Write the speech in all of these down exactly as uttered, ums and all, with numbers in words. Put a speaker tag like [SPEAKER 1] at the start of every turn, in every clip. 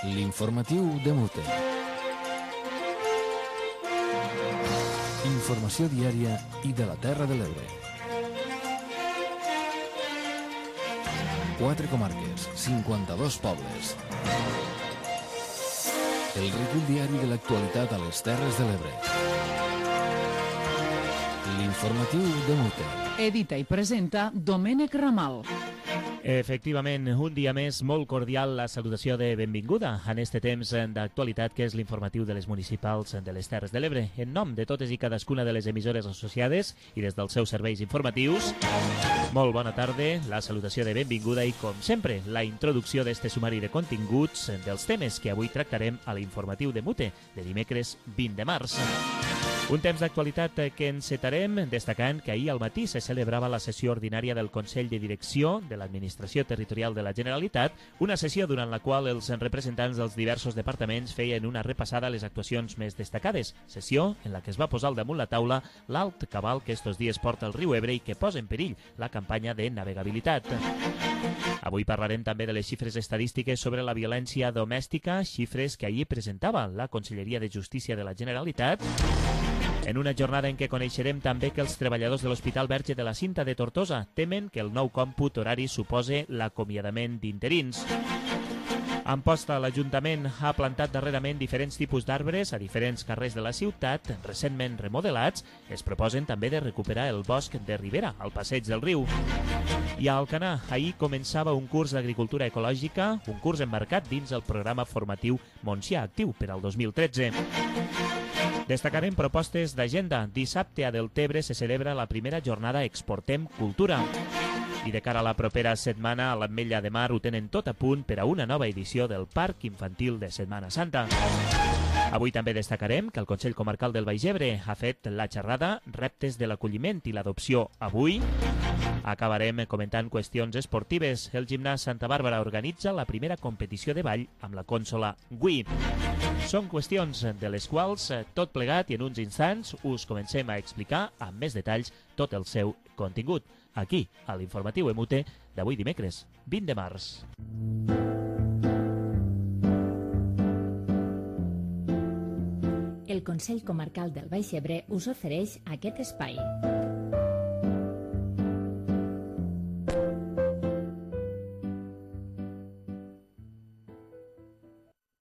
[SPEAKER 1] L'informatiu de Mute. Informació diària i de la Terra de l'Ebre. Quatre comarques, cinquanta-dos pobles. El recull diari de l'actualitat a les Terres de l'Ebre. L'informatiu de Mute.
[SPEAKER 2] Edita i presenta Domènec Ramal.
[SPEAKER 3] Efectivament, un dia més, molt cordial la salutació de benvinguda en este temps d'actualitat que és l'informatiu de les municipals de les Terres de l'Ebre. En nom de totes i cadascuna de les emissores associades i des dels seus serveis informatius, molt bona tarda, la salutació de benvinguda i, com sempre, la introducció d'este sumari de continguts dels temes que avui tractarem a l'informatiu de Mute, de dimecres vint de març. Un temps d'actualitat que encetarem destacant que ahir al matí se celebrava la sessió ordinària del Consell de Direcció de l'Administració Territorial de la Generalitat, una sessió durant la qual els representants dels diversos departaments feien una repassada a les actuacions més destacades, sessió en la que es va posar al damunt la taula l'alt cabal que estos dies porta el riu Ebre i que posa en perill la campanya de navegabilitat. Avui parlarem també de les xifres estadístiques sobre la violència domèstica, xifres que ahir presentava la Conselleria de Justícia de la Generalitat, en una jornada en què coneixerem també que els treballadors de l'Hospital Verge de la Cinta de Tortosa temen que el nou còmput horari supose l'acomiadament d'interins. A Amposta, l'Ajuntament ha plantat darrerament diferents tipus d'arbres a diferents carrers de la ciutat, recentment remodelats. Es proposen també de recuperar el bosc de Ribera, al passeig del riu. I a Alcanar, ahir començava un curs d'agricultura ecològica, un curs emmarcat dins el programa formatiu Montsià Actiu per al dos mil tretze. Destacarem propostes d'agenda. Dissabte a Deltebre se celebra la primera jornada Exportem Cultura. I de cara a la propera setmana, a l'Ametlla de Mar ho tenen tot a punt per a una nova edició del Parc Infantil de Setmana Santa. Avui també destacarem que el Consell Comarcal del Baix Ebre ha fet la xerrada Reptes de l'acolliment i l'adopció avui. Acabarem comentant qüestions esportives. El Gimnàs Santa Bàrbara organitza la primera competició de ball amb la consola Wii. Són qüestions de les quals, tot plegat i en uns instants, us comencem a explicar amb més detalls tot el seu contingut, aquí, a l'informatiu Emute d'avui dimecres, vint de març.
[SPEAKER 4] El Consell Comarcal del Baix Ebre us ofereix aquest espai.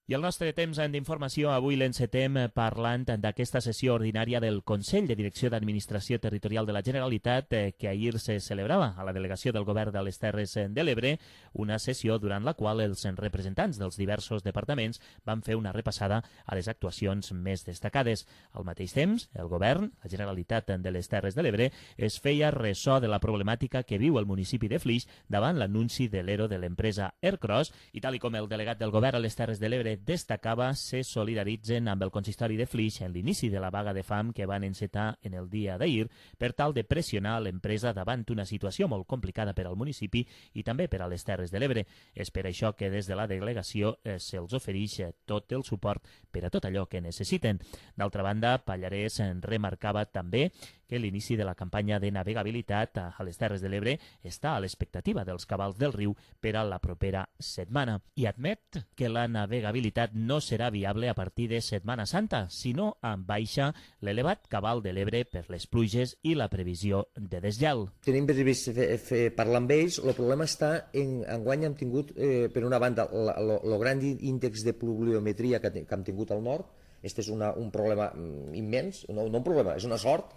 [SPEAKER 3] I el nostre temps d'informació avui l'encetem parlant d'aquesta sessió ordinària del Consell de Direcció d'Administració Territorial de la Generalitat que ahir se celebrava a la delegació del Govern de les Terres de l'Ebre, una sessió durant la qual els representants dels diversos departaments van fer una repassada a les actuacions més destacades. Al mateix temps, el Govern, la Generalitat de les Terres de l'Ebre, es feia ressò de la problemàtica que viu el municipi de Flix davant l'anunci de l'E R O de l'empresa Aircross i tal i com el delegat del Govern a les Terres de l'Ebre destacava, se solidaritzen amb el consistori de Flix en l'inici de la vaga de fam que van encetar en el dia d'ahir per tal de pressionar l'empresa davant una situació molt complicada per al municipi i també per a les Terres de l'Ebre. És per això que des de la delegació eh, se'ls ofereix tot el suport per a tot allò que necessiten. D'altra banda, Pallarès remarcava també que l'inici de la campanya de navegabilitat a les Terres de l'Ebre està a l'expectativa dels cabals del riu per a la propera setmana i admet que la navegabilitat no serà viable a partir de Setmana Santa, sinó en baixa l'elevat cabal de l'Ebre per les pluges i la previsió de desgel.
[SPEAKER 5] Tenim previst fer, fer, parlar amb ells. El problema està en enguany hem tingut, eh, per una banda, el gran índex de pluviometria que, que hem tingut al nord. Este és una, un problema immens, no, no un problema, és una sort.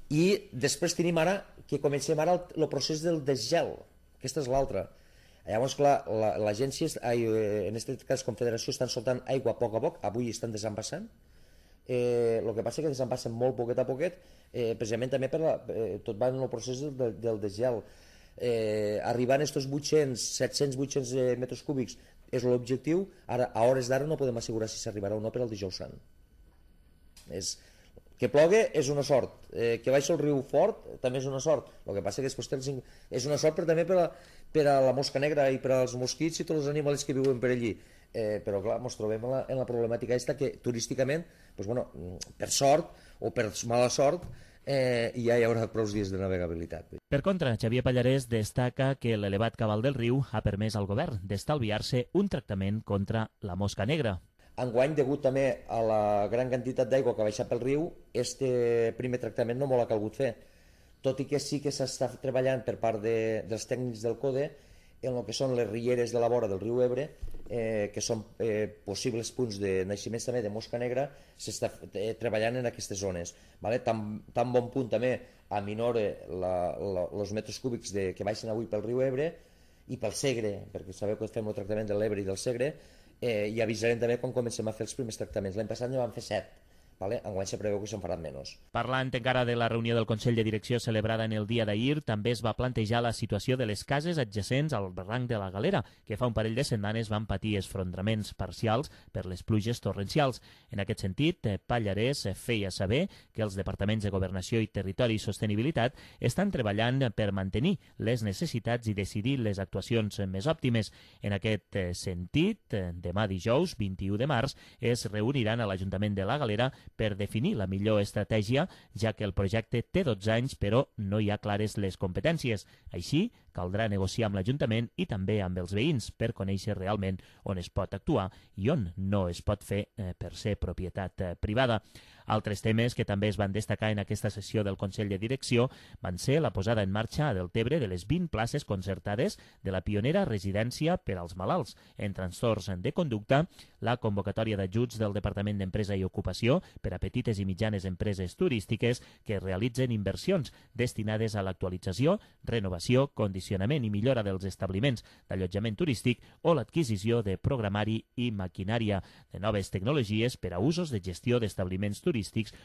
[SPEAKER 5] I després tenim ara que comencem ara el, el procés del desgel. Aquesta és l'altra. Llavors, clar, l'agència, la, en aquest cas Confederació, estan soltant aigua a poc a poc. Avui estan desembassant. Eh, el que passa és que desembassen molt poquet a poquet, eh, precisament també per la, eh, tot va en el procés del, del desgel. Eh, arribant a aquests vuit-cents, set-cents, vuit-cents metres cúbics és l'objectiu. Ara, a hores d'ara no podem assegurar si s'arribarà o no per al dijous sant. És... Que plogui és una sort, eh, que baixa el riu fort també és una sort. El que passa que després és una sort però també per a, per a la mosca negra i per als mosquits i tots els animals que viuen per allí. Eh, però clar, ens trobem en la, en la problemàtica aquesta que turísticament, pues, bueno, per sort o per mala sort, eh, i ja hi haurà prou dies de navegabilitat.
[SPEAKER 3] Per contra, Xavier Pallarès destaca que l'elevat cabal del riu ha permès al govern d'estalviar-se un tractament contra la mosca negra.
[SPEAKER 5] Enguany, degut també a la gran quantitat d'aigua que ha baixat pel riu, este primer tractament no molt ha calgut fer, tot i que sí que s'està treballant per part de, dels tècnics del CODE en el que són les rieres de la vora del riu Ebre, eh, que són eh, possibles punts de naixements també de mosca negra, s'està eh, treballant en aquestes zones. Vale? Tan, tan bon punt també aminore els metres cúbics de, que baixen avui pel riu Ebre i pel Segre, perquè sabeu que fem el tractament de l'Ebre i del Segre, eh, i avisarem també quan comencem a fer els primers tractaments. L'any passat ne vam fer set. Vale? Enguany se preveu que se'n faran menys.
[SPEAKER 3] Parlant encara de la reunió del Consell de Direcció celebrada en el dia d'ahir, també es va plantejar la situació de les cases adjacents al barranc de la Galera, que fa un parell de setmanes van patir esfondraments parcials per les pluges torrencials. En aquest sentit, Pallarès feia saber que els departaments de Governació i Territori i Sostenibilitat estan treballant per mantenir les necessitats i decidir les actuacions més òptimes. En aquest sentit, demà dijous, vint-i-u de març, es reuniran a l'Ajuntament de la Galera per definir la millor estratègia, ja que el projecte té dotze anys però no hi ha clares les competències. Així, caldrà negociar amb l'Ajuntament i també amb els veïns per conèixer realment on es pot actuar i on no es pot fer eh, per ser propietat eh, privada. Altres temes que també es van destacar en aquesta sessió del Consell de Direcció van ser la posada en marxa a Deltebre de les vint places concertades de la pionera residència per als malalts en trastorns de conducta, la convocatòria d'ajuts del Departament d'Empresa i Ocupació per a petites i mitjanes empreses turístiques que realitzen inversions destinades a l'actualització, renovació, condicionament i millora dels establiments d'allotjament turístic o l'adquisició de programari i maquinària de noves tecnologies per a usos de gestió d'establiments turístics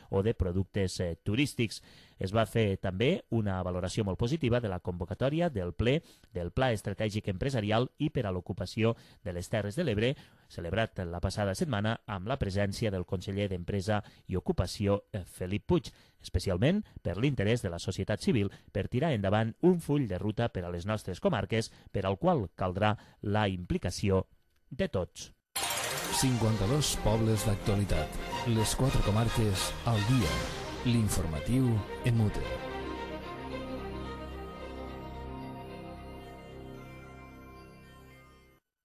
[SPEAKER 3] o de productes eh, turístics. Es va fer també una valoració molt positiva de la convocatòria del ple del Pla Estratègic Empresarial i per a l'ocupació de les Terres de l'Ebre, celebrat la passada setmana amb la presència del conseller d'Empresa i Ocupació, eh, Felip Puig, especialment per l'interès de la societat civil per tirar endavant un full de ruta per a les nostres comarques, per al qual caldrà la implicació de tots.
[SPEAKER 1] cinquanta-dos pobles d'actualitat. Les quatre comarques al dia. L'informatiu Emute.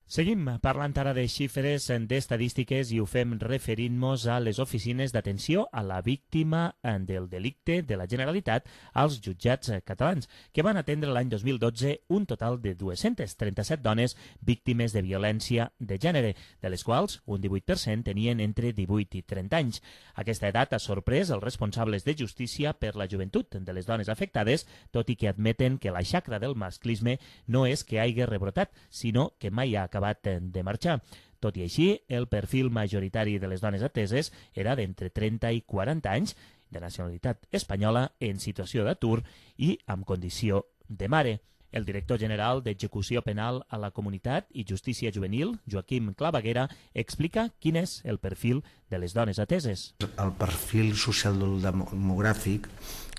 [SPEAKER 3] Seguim parlant ara de xifres, d'estadístiques i ho fem referint-nos a les oficines d'atenció a la víctima del delicte de la Generalitat als jutjats catalans, que van atendre l'any dos mil dotze un total de dues-centes trenta-set dones víctimes de violència de gènere, de les quals un divuit per cent tenien entre divuit i trenta anys. Aquesta edat ha sorprès els responsables de justícia per la joventut de les dones afectades, tot i que admeten que la xacra del masclisme no és que hagi rebrotat, sinó que mai ha acabat de marxar. Tot i així, el perfil majoritari de les dones ateses era d'entre trenta i quaranta anys, de nacionalitat espanyola, en situació d'atur i amb condició de mare. El director general d'Execució Penal a la Comunitat i Justícia Juvenil, Joaquim Clavaguera, explica quin és el perfil de les dones ateses.
[SPEAKER 6] El perfil social-demogràfic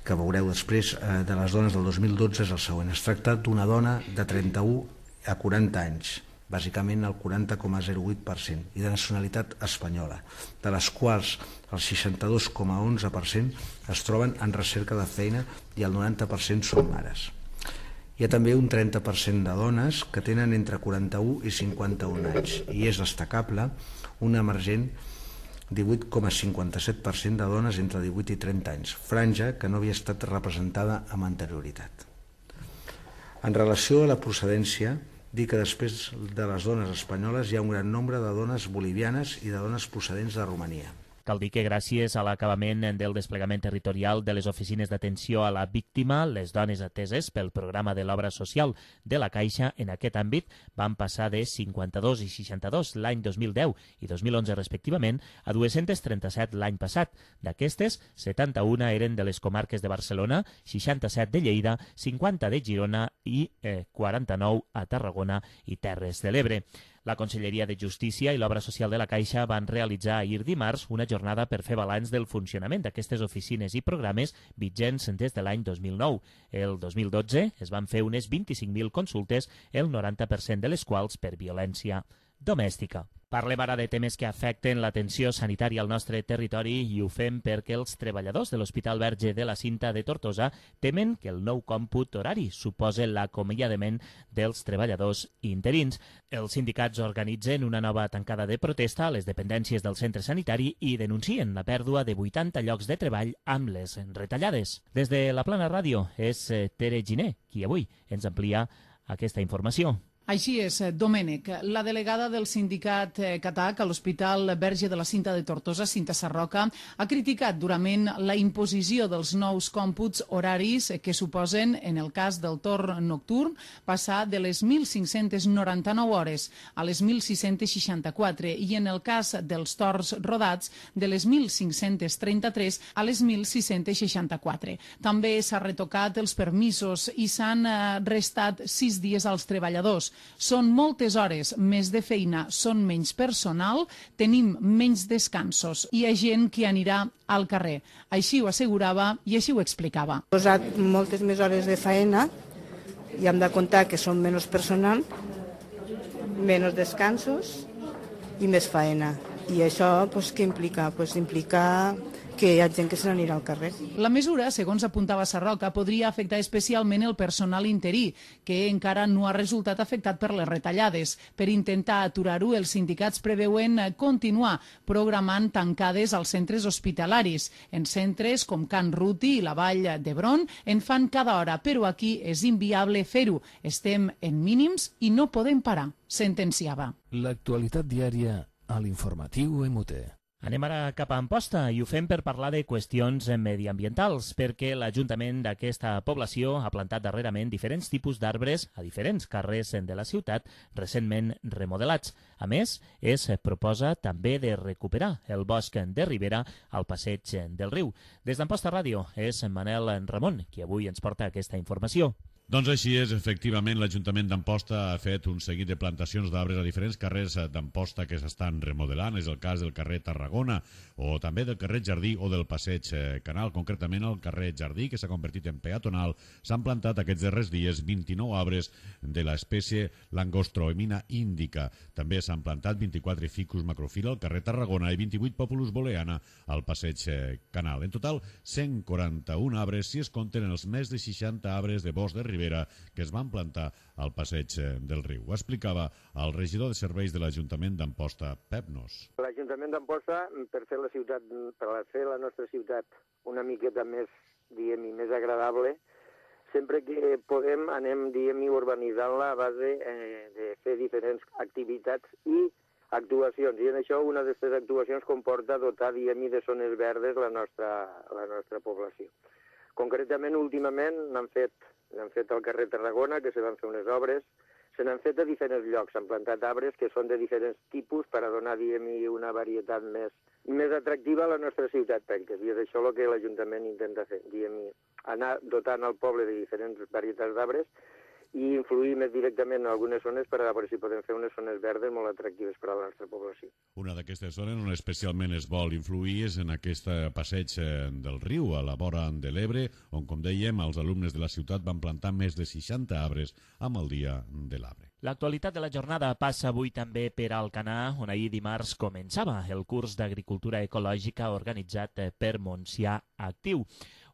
[SPEAKER 6] que veureu després de les dones del dos mil dotze és el següent. Es tracta d'una dona de trenta-u a quaranta anys, bàsicament el quaranta coma zero vuit per cent, i de nacionalitat espanyola, de les quals el seixanta-dos coma onze per cent es troben en recerca de feina i el noranta per cent són mares. Hi ha també un trenta per cent de dones que tenen entre quaranta-u i cinquanta-un anys, i és destacable un emergent divuit coma cinquanta-set per cent de dones entre divuit i trenta anys, franja que no havia estat representada amb anterioritat. En relació a la procedència, dir que després de les dones espanyoles hi ha un gran nombre de dones bolivianes i de dones procedents de Romania.
[SPEAKER 3] Cal dir que gràcies a l'acabament del desplegament territorial de les oficines d'atenció a la víctima, les dones ateses pel programa de l'obra social de la Caixa en aquest àmbit van passar de cinquanta-dos i seixanta-dos l'any dos mil deu i dos mil onze respectivament a dues-centes trenta-set l'any passat. D'aquestes, setanta-una eren de les comarques de Barcelona, seixanta-set de Lleida, cinquanta de Girona i eh, quaranta-nou a Tarragona i Terres de l'Ebre. La Conselleria de Justícia i l'Obra Social de la Caixa van realitzar ahir dimarts una jornada per fer balanç del funcionament d'aquestes oficines i programes vigents des de l'any dos mil nou. El dos mil dotze es van fer unes vint-i-cinc mil consultes, el noranta per cent de les quals per violència domèstica. Parlem ara de temes que afecten l'atenció sanitària al nostre territori i ho fem perquè els treballadors de l'Hospital Verge de la Cinta de Tortosa temen que el nou còmput horari suposa l'acomiadament dels treballadors interins. Els sindicats organitzen una nova tancada de protesta a les dependències del centre sanitari i denuncien la pèrdua de vuitanta llocs de treball amb les retallades. Des de la Plana Ràdio és Tere Giner qui avui ens amplia aquesta informació.
[SPEAKER 2] Així és, Domènec. La delegada del sindicat Catac a l'Hospital Verge de la Cinta de Tortosa, Cinta Sarroca, ha criticat durament la imposició dels nous còmputs horaris que suposen, en el cas del torn nocturn, passar de les mil cinc-cents noranta-nou hores a les mil sis-cents seixanta-quatre i, en el cas dels torns rodats, de les mil cinc-cents trenta-tres a les mil sis-cents seixanta-quatre. També s'ha retocat els permisos i s'han restat sis dies als treballadors. Són moltes hores més de feina, són menys personal, tenim menys descansos. Hi ha gent que anirà al carrer. Així ho assegurava i així ho explicava.
[SPEAKER 7] He posat moltes més hores de feina i hem de comptar que són menys personal, menys descansos i més feina. I això pues, què implica? Pues, implica que hi ha gent que se n'anirà al carrer.
[SPEAKER 2] La mesura, segons apuntava Sarroca, podria afectar especialment el personal interí, que encara no ha resultat afectat per les retallades. Per intentar aturar-ho, els sindicats preveuen continuar programant tancades als centres hospitalaris. En centres com Can Ruti i la Vall d'Hebron en fan cada hora, però aquí és inviable fer-ho. Estem en mínims i no podem parar, sentenciava.
[SPEAKER 1] L'actualitat diària a l'informatiu M U T.
[SPEAKER 3] Anem ara cap a Amposta i ho fem per parlar de qüestions mediambientals, perquè l'Ajuntament d'aquesta població ha plantat darrerament diferents tipus d'arbres a diferents carrers de la ciutat recentment remodelats. A més, es proposa també de recuperar el bosc de Ribera al passeig del riu. Des d'Amposta Ràdio és Manel Ramon qui avui ens porta aquesta informació.
[SPEAKER 8] Doncs així és, efectivament, l'Ajuntament d'Amposta ha fet un seguit de plantacions d'arbres a diferents carrers d'Amposta que s'estan remodelant. És el cas del carrer Tarragona o també del carrer Jardí o del passeig Canal. Concretament, al carrer Jardí, que s'ha convertit en peatonal, s'han plantat aquests darrers dies vint-i-nou arbres de l'espècie Langostroemina indica. També s'han plantat vint-i-quatre ficus macrofila al carrer Tarragona i vint-i-vuit Populus booleana al passeig Canal. En total, cent quaranta-un arbres si es compten els més de seixanta arbres de bosc de Ribera que es van plantar al passeig del riu. Ho explicava el regidor de serveis de l'Ajuntament d'Amposta, Pep Nos.
[SPEAKER 9] L'Ajuntament d'Amposta, per fer la ciutat, per fer la nostra ciutat una miqueta més, diguem-hi, més agradable, sempre que podem anem, diguem-hi, urbanitzant-la a base eh, de fer diferents activitats i actuacions. I en això una d'aquestes actuacions comporta dotar, diguem-hi, de zones verdes la nostra, la nostra població. Concretament, últimament, n'han fet, n'han fet al carrer Tarragona, que se van fer unes obres, se n'han fet a diferents llocs, s'han plantat arbres que són de diferents tipus per a donar, diguem-hi, una varietat més, més atractiva a la nostra ciutat, perquè és això el que l'Ajuntament intenta fer, diguem-hi, anar dotant al poble de diferents varietats d'arbres i influir més directament en algunes zones per a veure si podem fer unes zones verdes molt atractives per a la nostra població.
[SPEAKER 8] Una d'aquestes zones on especialment es vol influir és en aquest passeig del riu, a la vora de l'Ebre, on, com dèiem, els alumnes de la ciutat van plantar més de seixanta arbres amb el Dia de l'Arbre.
[SPEAKER 3] L'actualitat de la jornada passa avui també per Alcanar, on ahir dimarts començava el curs d'Agricultura Ecològica organitzat per Montsià Actiu.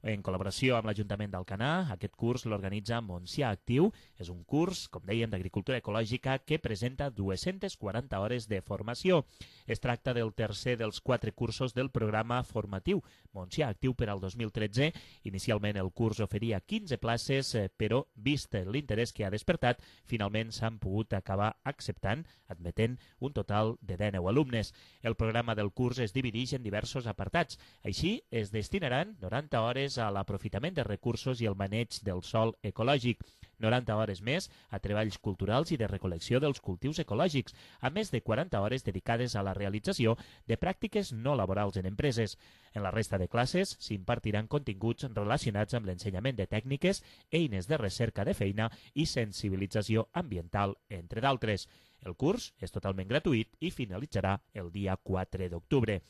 [SPEAKER 3] En col·laboració amb l'Ajuntament d'Alcanar, aquest curs l'organitza Montsià Actiu. És un curs, com dèiem, d'agricultura ecològica que presenta dues-centes quaranta hores de formació. Es tracta del tercer dels quatre cursos del programa formatiu Montsià Actiu per al dos mil tretze. Inicialment el curs oferia quinze places, però, vist l'interès que ha despertat, finalment s'han pogut acabar acceptant, admetent un total de dinou alumnes. El programa del curs es divideix en diversos apartats. Així, es destinaran noranta hores a l'aprofitament de recursos i el maneig del sòl ecològic, noranta hores més a treballs culturals i de recol·lecció dels cultius ecològics, a més de quaranta hores dedicades a la realització de pràctiques no laborals en empreses. En la resta de classes s'impartiran continguts relacionats amb l'ensenyament de tècniques, eines de recerca de feina i sensibilització ambiental, entre d'altres. El curs és totalment gratuït i finalitzarà el dia quatre d'octubre.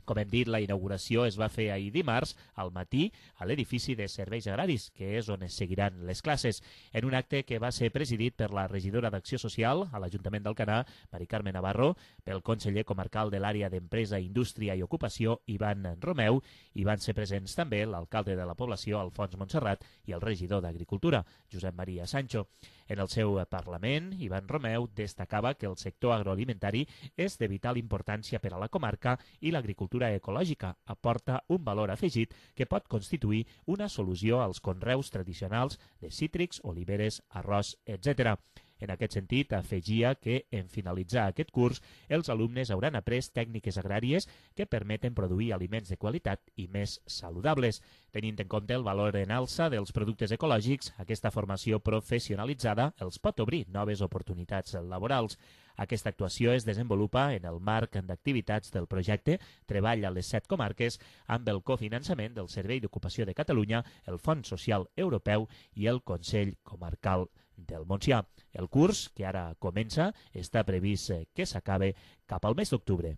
[SPEAKER 3] Com hem dit, la inauguració es va fer ahir dimarts al matí a l'edifici de Serveis Agraris, que és on es seguiran les classes, en un acte que va ser presidit per la regidora d'Acció Social a l'Ajuntament d'Alcanar, Mari Carme Navarro, pel conseller comarcal de l'àrea d'Empresa, Indústria i Ocupació, Ivan Romeu, i van ser presents també l'alcalde de la població, Alfons Montserrat, i el regidor d'Agricultura, Josep Maria Sancho. En el seu Parlament, Ivan Romeu destacava que el sector agroalimentari és de vital importància per a la comarca i l'agricultura ecològica aporta un valor afegit que pot constituir una solució als conreus tradicionals de cítrics, oliveres, arròs, etcètera. En aquest sentit, afegia que, en finalitzar aquest curs, els alumnes hauran après tècniques agràries que permeten produir aliments de qualitat i més saludables. Tenint en compte el valor en alça dels productes ecològics, aquesta formació professionalitzada els pot obrir noves oportunitats laborals. Aquesta actuació es desenvolupa en el marc d'activitats del projecte Treball a les set comarques amb el cofinançament del Servei d'Ocupació de Catalunya, el Fons Social Europeu i el Consell Comarcal del Montsià. El curs, que ara comença, està previst que s'acabe cap al mes d'octubre.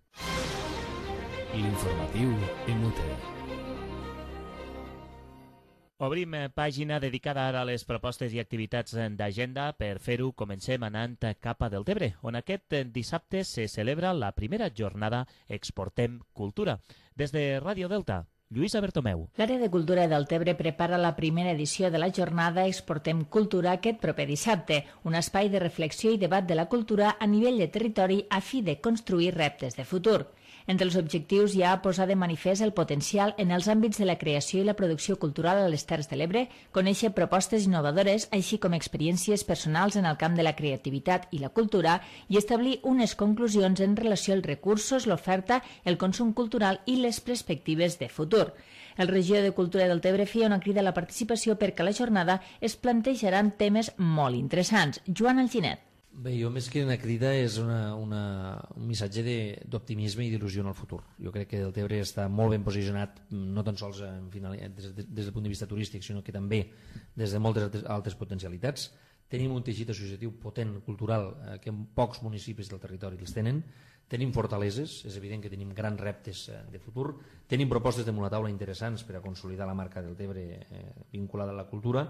[SPEAKER 1] L'informatiu en Muter.
[SPEAKER 3] Obrim pàgina dedicada ara a les propostes i activitats d'agenda. Per fer-ho, comencem anant cap a Deltebre, on aquest dissabte se celebra la primera jornada Exportem Cultura. Des de Ràdio Delta, Lluïsa Bertomeu.
[SPEAKER 4] L'àrea de cultura de Deltebre prepara la primera edició de la jornada Exportem Cultura aquest proper dissabte, un espai de reflexió i debat de la cultura a nivell de territori a fi de construir reptes de futur. Entre els objectius hi ha posar de manifest el potencial en els àmbits de la creació i la producció cultural a les Terres de l'Ebre, conèixer propostes innovadores, així com experiències personals en el camp de la creativitat i la cultura i establir unes conclusions en relació als recursos, l'oferta, el consum cultural i les perspectives de futur. El regidor de Cultura de Deltebre feia una crida a la participació perquè a la jornada es plantejaran temes molt interessants. Joan Alginet.
[SPEAKER 10] Bé, jo més que una crida és una, una, un missatge d'optimisme i d'il·lusió en el futur. Jo crec que Deltebre està molt ben posicionat, no tan sols en final, des, des del punt de vista turístic, sinó que també des de moltes altres, altres potencialitats. Tenim un teixit associatiu potent, cultural, eh, que pocs municipis del territori els tenen. Tenim fortaleses, és evident que tenim grans reptes de futur, tenim propostes de una taula interessants per a consolidar la marca Deltebre eh, vinculada a la cultura,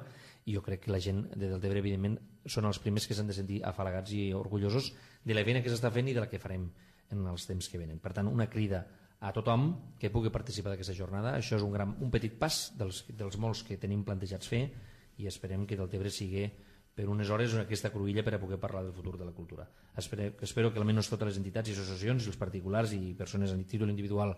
[SPEAKER 10] i jo crec que la gent de Deltebre, evidentment, són els primers que s'han de sentir afalagats i orgullosos de la feina que s'està fent i de la que farem en els temps que venen. Per tant, una crida a tothom que pugui participar d'aquesta jornada. Això és un, gran, un petit pas dels, dels molts que tenim plantejats fer i esperem que Deltebre sigui per unes hores aquesta cruïlla per a poder parlar del futur de la cultura. Espero, espero que almenys totes les entitats i associacions, els particulars i persones a títol individual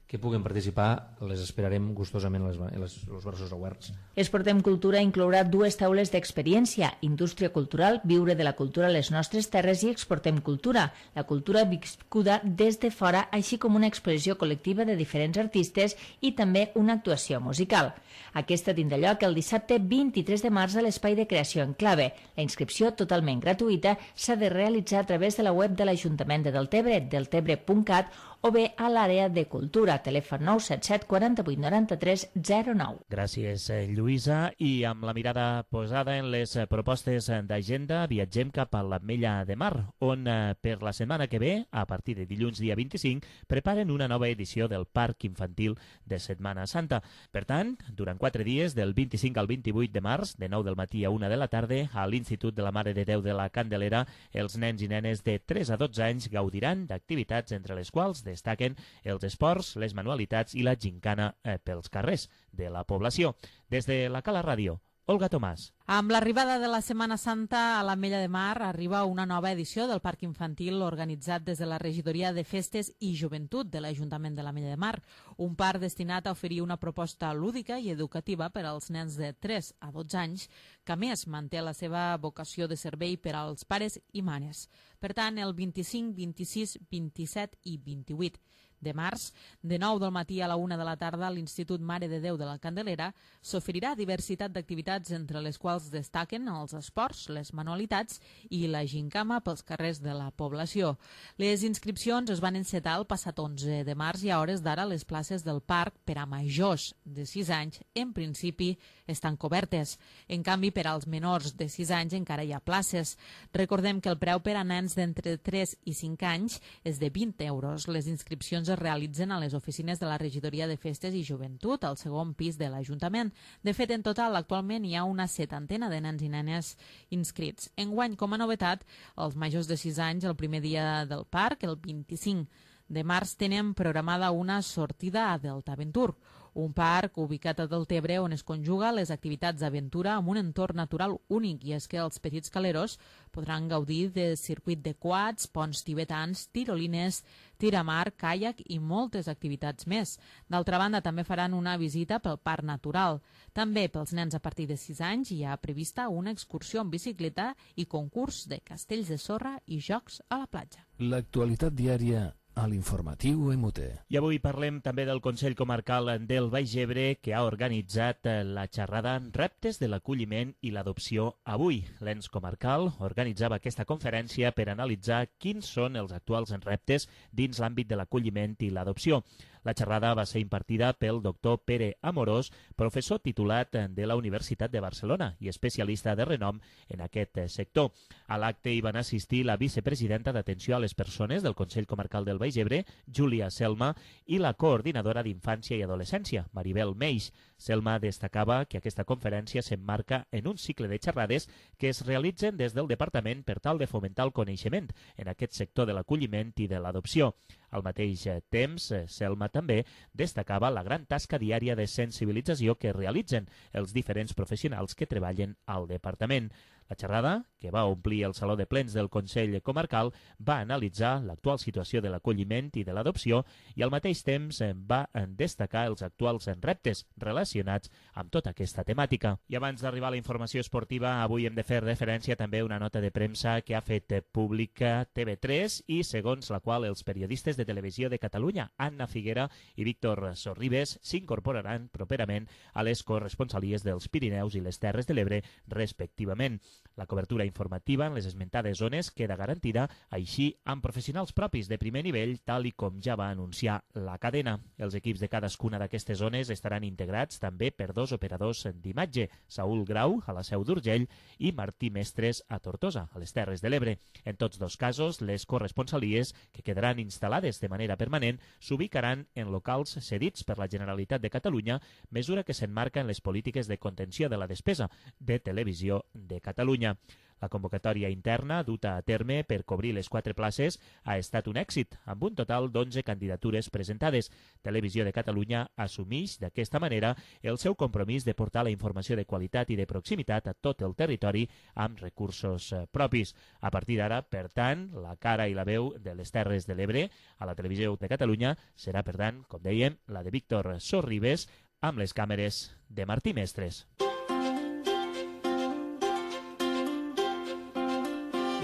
[SPEAKER 10] que puguen participar, les esperarem gustosament les, les, els braços oberts.
[SPEAKER 4] Exportem Cultura inclourà dues taules d'experiència, indústria cultural, viure de la cultura a les nostres terres i Exportem Cultura, la cultura viscuda des de fora, així com una exposició col·lectiva de diferents artistes i també una actuació musical. Aquesta tindrà lloc el dissabte vint-i-tres de març a l'Espai de Creació en Clave. La inscripció, totalment gratuïta, s'ha de realitzar a través de la web de l'Ajuntament de Deltebre, deltebre punt cat, o bé a l'àrea de cultura, telèfon nou set set quatre vuit nou tres zero nou.
[SPEAKER 3] Gràcies, Lluïsa. I amb la mirada posada en les propostes d'agenda, viatgem cap a l'Ametlla de Mar, on per la setmana que ve, a partir de dilluns dia vint-i-cinc, preparen una nova edició del Parc Infantil de Setmana Santa. Per tant, durant quatre dies, del vint-i-cinc al vint-i-vuit de març, de nou del matí a una de la tarda, a l'Institut de la Mare de Déu de la Candelera, els nens i nenes de tres a dotze anys gaudiran d'activitats entre les quals destaquen els esports, les manualitats i la gincana eh, pels carrers de la població. Des de la Cala Ràdio, Olga Tomàs.
[SPEAKER 11] Amb l'arribada de la Setmana Santa a l'Ametlla de Mar arriba una nova edició del Parc Infantil organitzat des de la Regidoria de Festes i Joventut de l'Ajuntament de l'Ametlla de Mar, un parc destinat a oferir una proposta lúdica i educativa per als nens de tres a dotze anys, que a més manté la seva vocació de servei per als pares i mares. Per tant, el vint-i-cinc, vint-i-sis, vint-i-set i vint-i-vuit de març, de nou del matí a la una de la tarda, a l'Institut Mare de Déu de la Candelera s'oferirà diversitat d'activitats, entre les quals quals destaquen els esports, les manualitats i la gincama pels carrers de la població. Les inscripcions es van encetar el passat onze de març i a hores d'ara les places del parc per a majors de sis anys en principi estan cobertes. En canvi, per als menors de sis anys encara hi ha places. Recordem que el preu per a nens d'entre tres i cinc anys és de vint euros. Les inscripcions es realitzen a les oficines de la Regidoria de Festes i Joventut, al segon pis de l'Ajuntament. De fet, en total, actualment hi ha una setantena de nens i nenes inscrits. Enguany, com a novetat, els majors de sis anys, el primer dia del parc, el vint-i-cinc de març, tenen programada una sortida a Deltaventur, un parc ubicat a Deltebre on es conjuga les activitats d'aventura amb un entorn natural únic, i és que els petits caleros podran gaudir de circuit de quads, ponts tibetans, tirolines, tiramar, caiac i moltes activitats més. D'altra banda, també faran una visita pel parc natural. També pels nens a partir de sis anys hi ha prevista una excursió en bicicleta i concurs de castells de sorra i jocs a la platja.
[SPEAKER 1] L'actualitat diària a l'informatiu M T.
[SPEAKER 3] I avui parlem també del Consell Comarcal del Baix Ebre, que ha organitzat la xerrada Reptes de l'acolliment i l'adopció avui. L'ens comarcal organitzava aquesta conferència per analitzar quins són els actuals reptes dins l'àmbit de l'acolliment i l'adopció. La xerrada va ser impartida pel doctor Pere Amorós, professor titulat de la Universitat de Barcelona i especialista de renom en aquest sector. A l'acte hi van assistir la vicepresidenta d'Atenció a les Persones del Consell Comarcal del Baix Ebre, Júlia Selma, i la coordinadora d'Infància i Adolescència, Maribel Meix. Selma destacava que aquesta conferència s'emmarca en un cicle de xerrades que es realitzen des del Departament per tal de fomentar el coneixement en aquest sector de l'acolliment i de l'adopció. Al mateix temps, Selma també destacava la gran tasca diària de sensibilització que realitzen els diferents professionals que treballen al departament. La xerrada, que va omplir el Saló de Plens del Consell Comarcal, va analitzar l'actual situació de l'acolliment i de l'adopció i al mateix temps va destacar els actuals reptes relacionats amb tota aquesta temàtica. I abans d'arribar a la informació esportiva, avui hem de fer referència també a una nota de premsa que ha fet pública T V tres i segons la qual els periodistes de Televisió de Catalunya, Anna Figuera i Víctor Sorribes, s'incorporaran properament a les corresponsalies dels Pirineus i les Terres de l'Ebre, respectivament. La cobertura informativa en les esmentades zones queda garantida, així amb professionals propis de primer nivell, tal i com ja va anunciar la cadena. Els equips de cadascuna d'aquestes zones estaran integrats també per dos operadors d'imatge, Saúl Grau, a la Seu d'Urgell, i Martí Mestres, a Tortosa, a les Terres de l'Ebre. En tots dos casos, les corresponsalies, que quedaran instal·lades de manera permanent, s'ubicaran en locals cedits per la Generalitat de Catalunya, mesura que s'enmarca en les polítiques de contenció de la despesa de Televisió de Catalunya. La convocatòria interna duta a terme per cobrir les quatre places ha estat un èxit, amb un total d'onze candidatures presentades. Televisió de Catalunya assumeix d'aquesta manera el seu compromís de portar la informació de qualitat i de proximitat a tot el territori amb recursos propis. A partir d'ara, per tant, la cara i la veu de les Terres de l'Ebre a la Televisió de Catalunya serà, per tant, com dèiem, la de Víctor Sorribes amb les càmeres de Martí Mestres.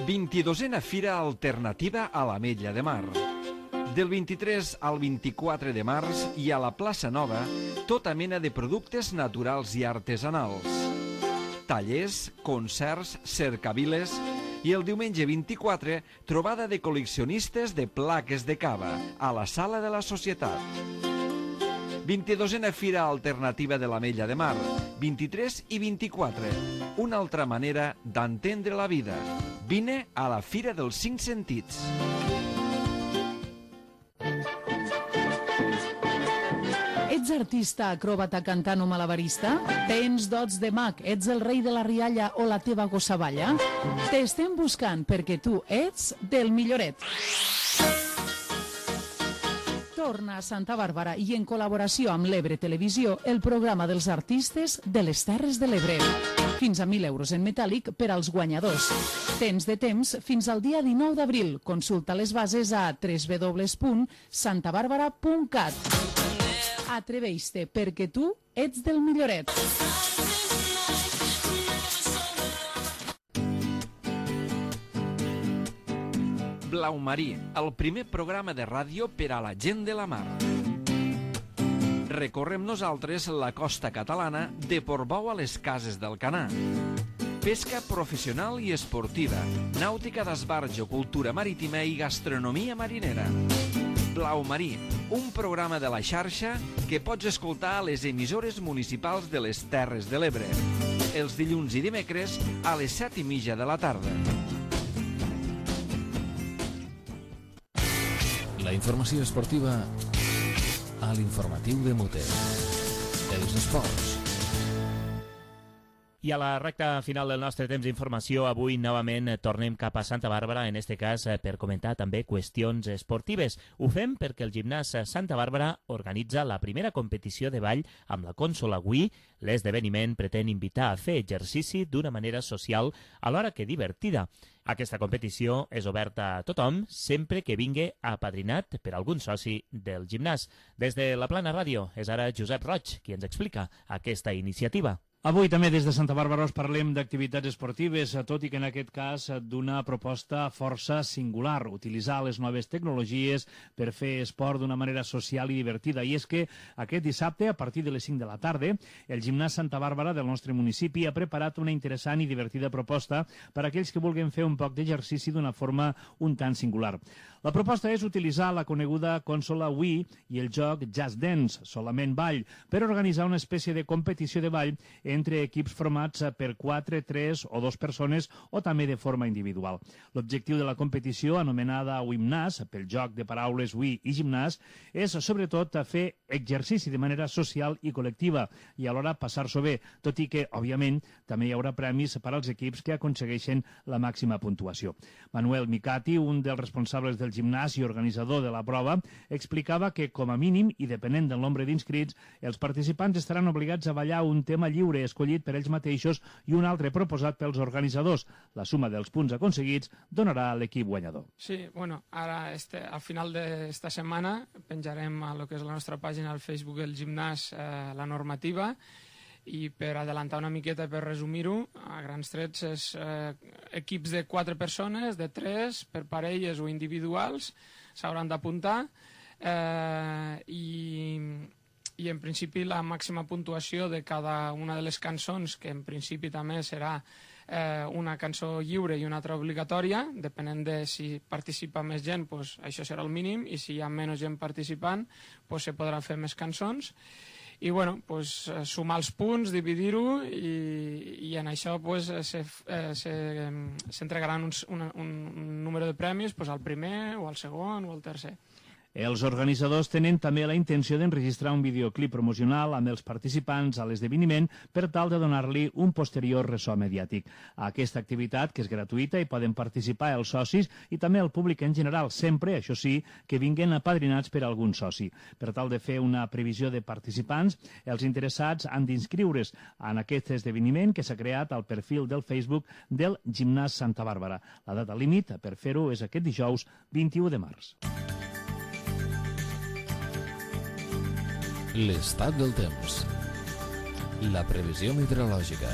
[SPEAKER 12] vint-i-dosena Fira Alternativa a l'Ametlla de Mar. Del vint-i-tres al vint-i-quatre de març hi ha a la plaça Nova tota mena de productes naturals i artesanals. Tallers, concerts, cercaviles i el diumenge vint-i-quatre trobada de col·leccionistes de plaques de cava a la Sala de la Societat. vint-i-dosena Fira Alternativa de l'Ametlla de Mar, vint-i-tres i vint-i-quatre. Una altra manera d'entendre la vida. Vine a la Fira dels Cinc Sentits.
[SPEAKER 2] Ets artista, acròbata, cantant o malabarista? Tens dots de mag, ets el rei de la rialla o la teva gossa balla? T'estem buscant perquè tu ets del milloret. Torna a Santa Bàrbara i en col·laboració amb l'Ebre Televisió el programa dels artistes de les Terres de l'Ebre. Fins a mil euros en metàl·lic per als guanyadors. Tens de temps fins al dia dinou d'abril. Consulta les bases a w w w punt santa bàrbara punt cat. Atreveix-te perquè tu ets del milloret.
[SPEAKER 12] Blau Marí, el primer programa de ràdio per a la gent de la mar. Recorrem nosaltres la costa catalana de Portbou a les Cases del Canà. pesca professional i esportiva, nàutica d'esbarjo, cultura marítima i gastronomia marinera. Blau Marí, un programa de la xarxa que pots escoltar a les emissores municipals de les Terres de l'Ebre, els dilluns i dimecres a les set i mitja de la tarda.
[SPEAKER 1] La informació esportiva a l'informatiu de Mute. Els esports.
[SPEAKER 3] I a la recta final del nostre temps d'informació, avui novament tornem cap a Santa Bàrbara, en este cas per comentar també qüestions esportives. Ho fem perquè el gimnàs Santa Bàrbara organitza la primera competició de ball amb la Consola Wii. L'esdeveniment pretén invitar a fer exercici d'una manera social alhora que divertida. Aquesta competició és oberta a tothom, sempre que vingui apadrinat per algun soci del gimnàs. Des de la Plana Ràdio és ara Josep Roig qui ens explica aquesta iniciativa.
[SPEAKER 13] Avui també des de Santa Bàrbara us parlem d'activitats esportives, tot i que en aquest cas d'una proposta força singular, utilitzar les noves tecnologies per fer esport d'una manera social i divertida. I és que aquest dissabte, a partir de les cinc de la tarda, el gimnàs Santa Bàrbara del nostre municipi ha preparat una interessant i divertida proposta per a aquells que vulguin fer un poc d'exercici d'una forma un tant singular. La proposta és utilitzar la coneguda consola Wii i el joc Just Dance, solament ball, per organitzar una espècie de competició de ball entre equips formats per quatre, tres o dos persones o també de forma individual. L'objectiu de la competició, anomenada Wimnàs, pel joc de paraules Wii i gimnàs, és sobretot fer exercici de manera social i col·lectiva i alhora passar-s'ho bé, tot i que, òbviament, també hi haurà premis per als equips que aconsegueixen la màxima puntuació. Manuel Micati, un dels responsables del gimnàs i organitzador de la prova, explicava que, com a mínim, i depenent del nombre d'inscrits, els participants estaran obligats a ballar un tema lliure escollit per ells mateixos i un altre proposat pels organitzadors. La suma dels punts aconseguits donarà a l'equip guanyador.
[SPEAKER 14] Sí, bueno, ara este, al final d'esta setmana penjarem a lo que és la nostra pàgina al Facebook del gimnàs eh, la normativa, i per adelantar una miqueta, per resumir-ho, a grans trets és eh, equips de quatre persones, de tres, per parelles o individuals, s'hauran d'apuntar eh, i, i en principi la màxima puntuació de cada una de les cançons, que en principi també serà eh, una cançó lliure i una altra obligatòria, depenent de si participa més gent, pues, això serà el mínim, i si hi ha menys gent participant, pues, se podrà fer més cançons. I bueno, pues, sumar els punts, dividir-ho i, i en això pues, se, eh, se, s'entregaran un, un, un número de premis pues, al primer o al segon o al tercer.
[SPEAKER 13] Els organitzadors tenen també la intenció d'enregistrar un videoclip promocional amb els participants a l'esdeveniment per tal de donar-li un posterior ressò mediàtic. A aquesta activitat, que és gratuïta, hi poden participar els socis i també el públic en general, sempre, això sí, que vinguin apadrinats per algun soci. Per tal de fer una previsió de participants, els interessats han d'inscriure's en aquest esdeveniment que s'ha creat al perfil del Facebook del Gimnàs Santa Bàrbara. La data límit per fer-ho és aquest dijous vint-i-u de març.
[SPEAKER 1] L'estat del temps. La previsió meteorològica.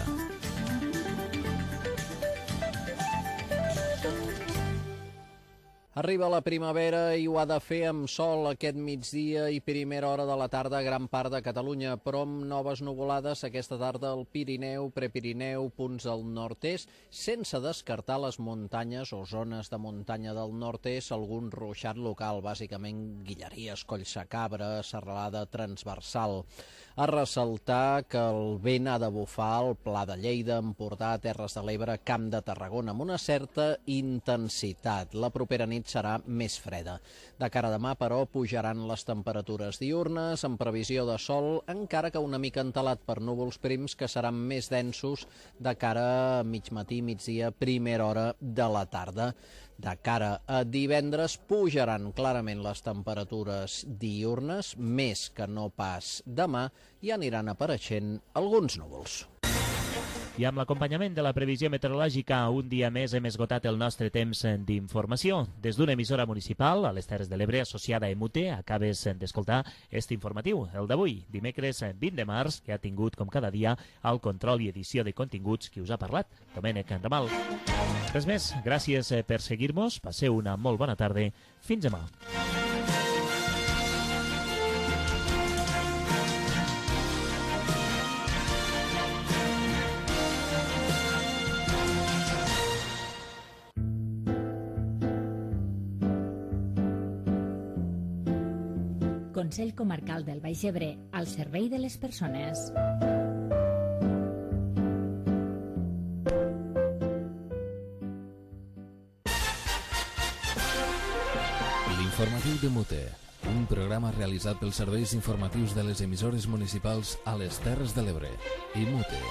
[SPEAKER 15] Arriba la primavera i ho ha de fer amb sol aquest migdia i primera hora de la tarda a gran part de Catalunya, però amb noves nuvolades aquesta tarda al Pirineu, Prepirineu, punts al nord-est, sense descartar les muntanyes o zones de muntanya del nord-est, algun ruixat local, bàsicament Guilleries, Collsacabra, serralada transversal. A ressaltar que el vent ha de bufar al Pla de Lleida, Empordà, Terres de l'Ebre, Camp de Tarragona, amb una certa intensitat. La propera nit serà més freda. De cara a demà, però, pujaran les temperatures diürnes, en previsió de sol, encara que una mica entelat per núvols prims que seran més densos de cara a mig matí, migdia, primera hora de la tarda. De cara a divendres pujaran clarament les temperatures diürnes, més que no pas demà, i aniran apareixent alguns núvols.
[SPEAKER 3] I amb l'acompanyament de la previsió meteorològica, un dia més hem esgotat el nostre temps d'informació. Des d'una emissora municipal, a les Terres de l'Ebre, associada a Emute, acabes d'escoltar este informatiu, el d'avui, dimecres vint de març, que ha tingut, com cada dia, el control i edició de continguts qui us ha parlat, Domènec Ramal. Res més, gràcies per seguir-nos, passeu una molt bona tarda, fins demà.
[SPEAKER 4] Consell Comarcal del Baix Ebre, al servei de les persones.
[SPEAKER 1] L'informatiu de Mute, un programa realitzat pels serveis informatius de les emissores municipals a les Terres de l'Ebre i Mute.